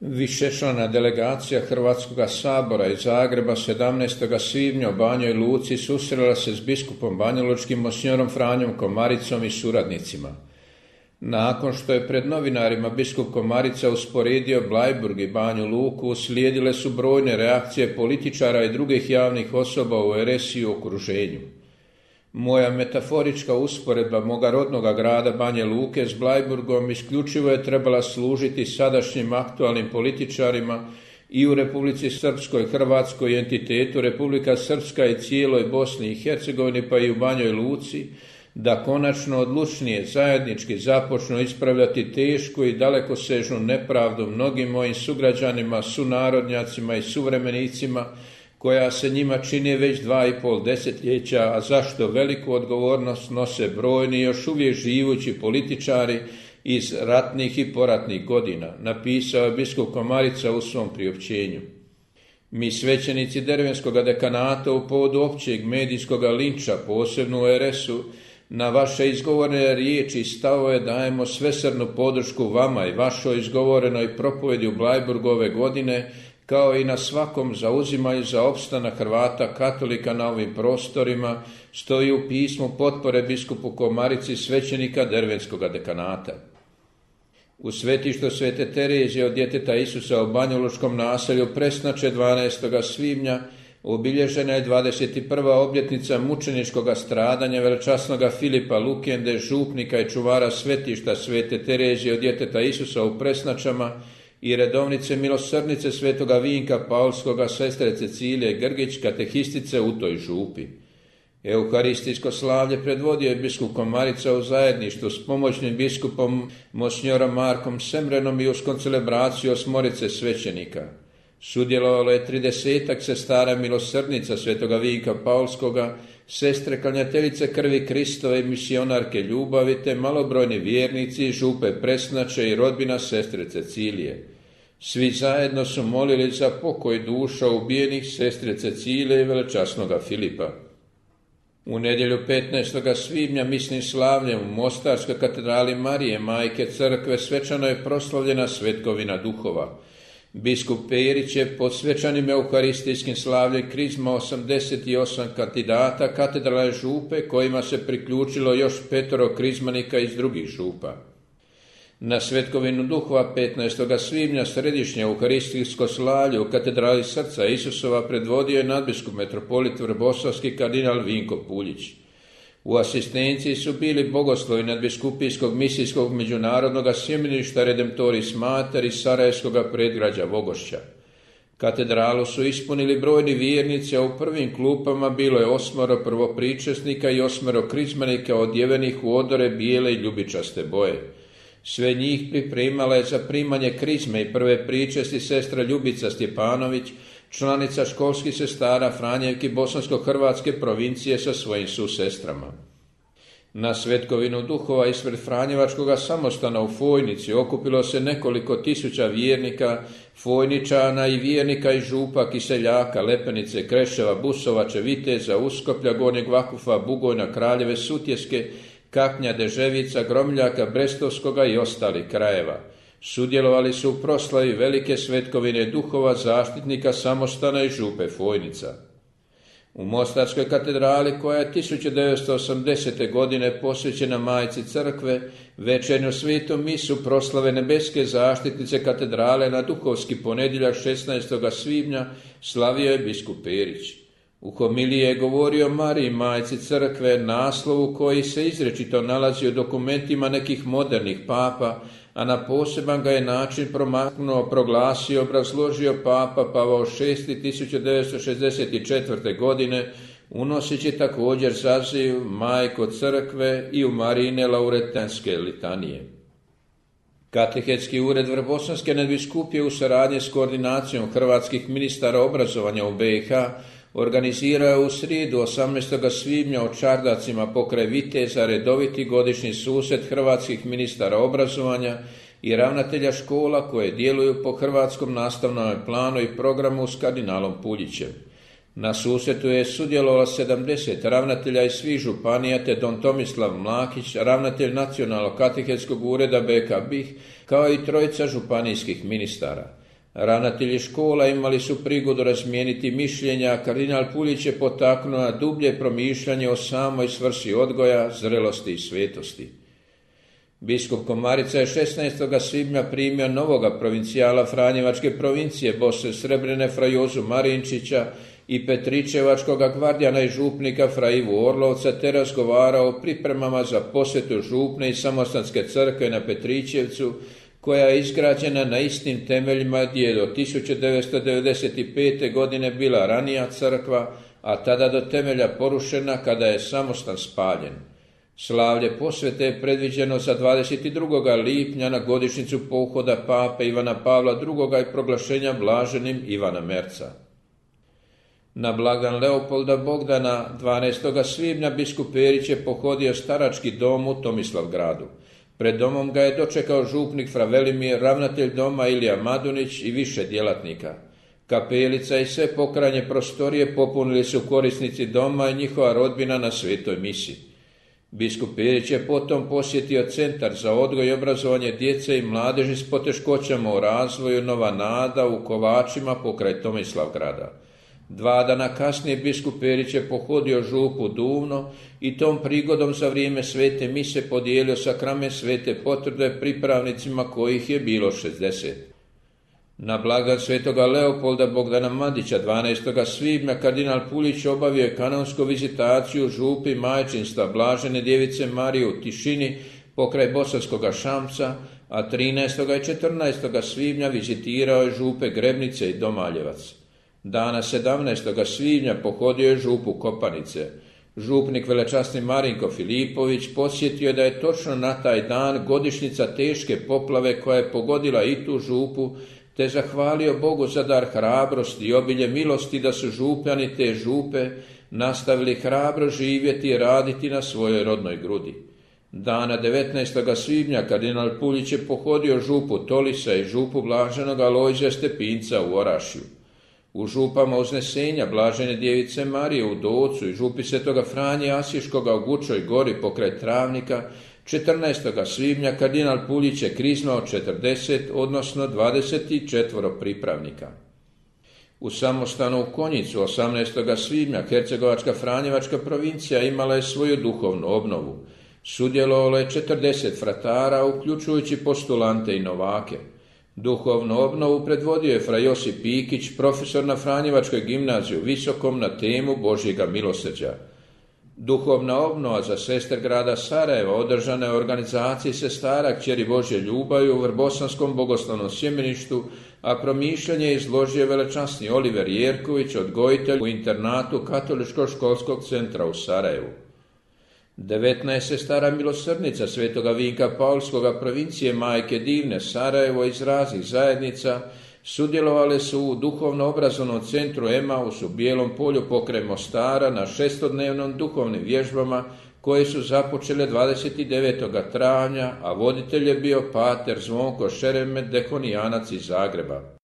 Višečlana delegacija Hrvatskog sabora iz Zagreba 17. svibnja u Banjoj Luci susrela se s biskupom banjalučkim monsinjorom Franjom Komaricom i suradnicima. Nakon što je pred novinarima biskup Komarica usporedio Bleiburg i Banju Luku, uslijedile su brojne reakcije političara i drugih javnih osoba u RS i okruženju. Moja metaforička usporedba moga rodnoga grada Banje Luke s Bleiburgom isključivo je trebala služiti sadašnjim aktualnim političarima i u Republici Srpskoj, Hrvatskoj entitetu Republika Srpska i cijeloj Bosni i Hercegovini pa i u Banjoj Luci, da konačno odlučnije zajednički započnu ispravljati tešku i dalekosežnu nepravdu mnogim mojim sugrađanima, sunarodnjacima i suvremenicima, koja se njima čini već 2,5 desetljeća, a zašto veliku odgovornost nose brojni još uvijek živući političari iz ratnih i poratnih godina, napisao je biskup Komarica u svom priopćenju. Mi svećenici Dervenskog dekanata u povodu općeg medijskog linča, posebno u RS-u, na vaše izgovorene riječi i stavove dajemo svesrdnu podršku vama i vašoj izgovorenoj propovedi u Bleiburgu ove godine, kao i na svakom zauzimanju za opstanak Hrvata katolika na ovim prostorima, stoji u pismu potpore biskupu Komarici svećenika Dervenskog dekanata. U svetištu Svete Terezije od djeteta Isusa u banjalučkom naselju Presnače 12. svibnja obilježena je 21. obljetnica mučeničkog stradanja velečasnoga Filipa Lukende, župnika i čuvara svetišta Svete Terezije od djeteta Isusa u Presnačama i redovnice milosrdnice svetoga Vinka Paulskoga, sestre Cecilije Grgić, katehistice u toj župi. Euharistijsko slavlje predvodio je biskup Komarica u zajedništvu s pomoćnim biskupom monsinjorom Markom Semrenom i uz koncelebraciju osmorice svećenika. Sudjelovalo je 30 sestara milosrdnica svetoga Vinka Paulskoga, sestre klanjateljice krvi Kristove i misionarke ljubavi, te malobrojni vjernici župe Presnače i rodbina sestre Cecilije. Svi zajedno su molili za pokoj duša ubijenih sestre Cecilije i velečasnoga Filipa. U nedjelju 15. svibnja misnim slavljem u Mostarskoj katedrali Marije Majke Crkve svečano je proslavljena svetkovina duhova. Biskup Perić je pod svečanim euharistijskim slavljem krizma 88 kandidata katedralne župe, kojima se priključilo još 5 krizmanika iz drugih župa. Na svetkovinu duhova 15. svibnja središnje euharistijsko slavlje u katedrali Srca Isusova predvodio je nadbiskup metropolit vrboslavski kardinal Vinko Puljić. U asistenciji su bili bogoslovi nadbiskupijskog misijskog međunarodnog sjemeništa Redemptoris Mater iz Sarajevskog predgrađa Vogošća. Katedralu su ispunili brojni vjernici, a u prvim klupama bilo je 8 prvopričesnika i 8 krizmanika odjevenih u odore bijele i ljubičaste boje. Sve njih pripremala je za primanje krizme i prve pričesti sestra Ljubica Stjepanović, članica školskih sestara Franjevki bosansko-hrvatske provincije sa svojim susestrama. Na svetkovinu duhova ispred Franjevačkog samostana u Fojnici okupilo se nekoliko tisuća vjernika, Fojničana i vjernika iz župa Kiseljaka, Lepenice, Kreševa, Busovače, Viteza, Uskoplja, Gornjeg Vakufa, Bugojna, Kraljeve, Sutjeske, Kaknja, Deževica, Gromljaka, Brestovskoga i ostalih krajeva. Sudjelovali su u proslavi velike svetkovine duhova zaštitnika samostana i župe Fojnica. U Mostarskoj katedrali, koja je 1980. godine posvećena Majci Crkve, večernju svetu misu proslave nebeske zaštitnice katedrale na duhovski ponedjeljak 16. svibnja slavio je biskup Perić. U homiliji je govorio o Mariji Majci Crkve, naslovu koji se izričito nalazi u dokumentima nekih modernih papa, a na poseban ga je način promaknuo, proglasio, obrazložio papa Pavao VI 1964. godine, unoseći također zaziv Majko Crkve i u Marijine lauretanske litanije. Katehetski ured Vrbosanske nadbiskupije u saradnji s koordinacijom hrvatskih ministara obrazovanja u BiH organizirao je u srijedu 18. svibnja u Čardacima pokraj Viteza redoviti godišnji susret hrvatskih ministara obrazovanja i ravnatelja škola koje djeluju po hrvatskom nastavnom planu i programu s kardinalom Puljićem. Na susretu je sudjelovalo 70 ravnatelja iz svih županija te don Tomislav Mlakić, ravnatelj Nacionalnog katehetskog ureda BK BiH, kao i 3 županijskih ministara. Ravnatelji škola imali su prigodu razmijeniti mišljenja, a kardinal Puljić je potaknuo na dublje promišljanje o samoj svrsi odgoja, zrelosti i svetosti. Biskup Komarica je 16. svibnja primio novoga provincijala Franjevačke provincije Bosne Srebrene fra Jozu Marinčića i Petričevačkoga gvardijana i župnika fra Ivu Orlovca, te razgovarao o pripremama za posjetu župne i samostanske crkve na Petričevcu, koja je izgrađena na istim temeljima gdje je do 1995. godine bila ranija crkva, a tada do temelja porušena kada je samostan spaljen. Slavlje posvete je predviđeno za 22. lipnja na godišnjicu pohoda pape Ivana Pavla II. I proglašenja blaženim Ivana Merca. Na blagdan Leopolda Bogdana 12. svibnja biskup Perić je pohodio starački dom u Tomislavgradu. Pred domom ga je dočekao župnik fra Velimir, ravnatelj doma Ilija Madunić i više djelatnika. Kapelica i sve pokrajnje prostorije popunili su korisnici doma i njihova rodbina na svetoj misi. Biskup Perić je potom posjetio Centar za odgoj i obrazovanje djece i mladeži s poteškoćama u razvoju Nova Nada u Kovačima pokraj Tomislavgrada. 2 dana kasnije biskup Perić je pohodio župu Duvno i tom prigodom za vrijeme svete mise podijelio sakrament svete potvrde pripravnicima kojih je bilo 60. Na blagdan svetoga Leopolda Bogdana Mandića 12. svibnja kardinal Puljić obavio je kanonsku vizitaciju župi majčinstva Blažene djevice Marije u Tišini pokraj Bosanskoga Šamca, a 13. i 14. svibnja vizitirao je župe Grebnice i Domaljevac. Dana 17. svibnja pohodio je župu Kopanice. Župnik velečasni Marinko Filipović podsjetio je da je točno na taj dan godišnjica teške poplave koja je pogodila i tu župu, te zahvalio Bogu za dar hrabrosti i obilje milosti da su župljani te župe nastavili hrabro živjeti i raditi na svojoj rodnoj grudi. Dana 19. svibnja kardinal Puljić je pohodio župu Tolisa i župu Blaženog Alojzija Stepinca u Orašju. U župama Uznesenja Blažene djevice Marije u Docu i župi svetoga Franje Asiškoga u Gučoj gori pokraj Travnika 14. svibnja kardinal Puljić je kriznao 40, odnosno 24 pripravnika. U samostanu u Konjicu 18. svibnja Hercegovačka Franjevačka provincija imala je svoju duhovnu obnovu. Sudjelovalo je 40 fratara, uključujući postulante i novake. Duhovnu obnovu predvodio je fra Josip Pikić, profesor na Franjevačkoj gimnaziji u Visokom na temu Božjega milosrđa. Duhovna obnova za sestre grada Sarajeva održana je u organizaciji sestara Kćeri Božje ljubavi u Vrbosanskom bogoslovnom sjemeništu, a promišljanje je izložio velečasni Oliver Jerković, odgojitelj u internatu Katoličkog školskog centra u Sarajevu. 19 sestara milosrdnica svetoga Vinka Paulskoga provincije Majke Divne Sarajevo iz raznih zajednica sudjelovale su u duhovno-obrazovnom centru Emaus u Bijelom polju pokraj Mostara na 6-dnevnom duhovnim vježbama koje su započele 29. travnja, a voditelj je bio pater Zvonko Šeremet, dekonijanac iz Zagreba.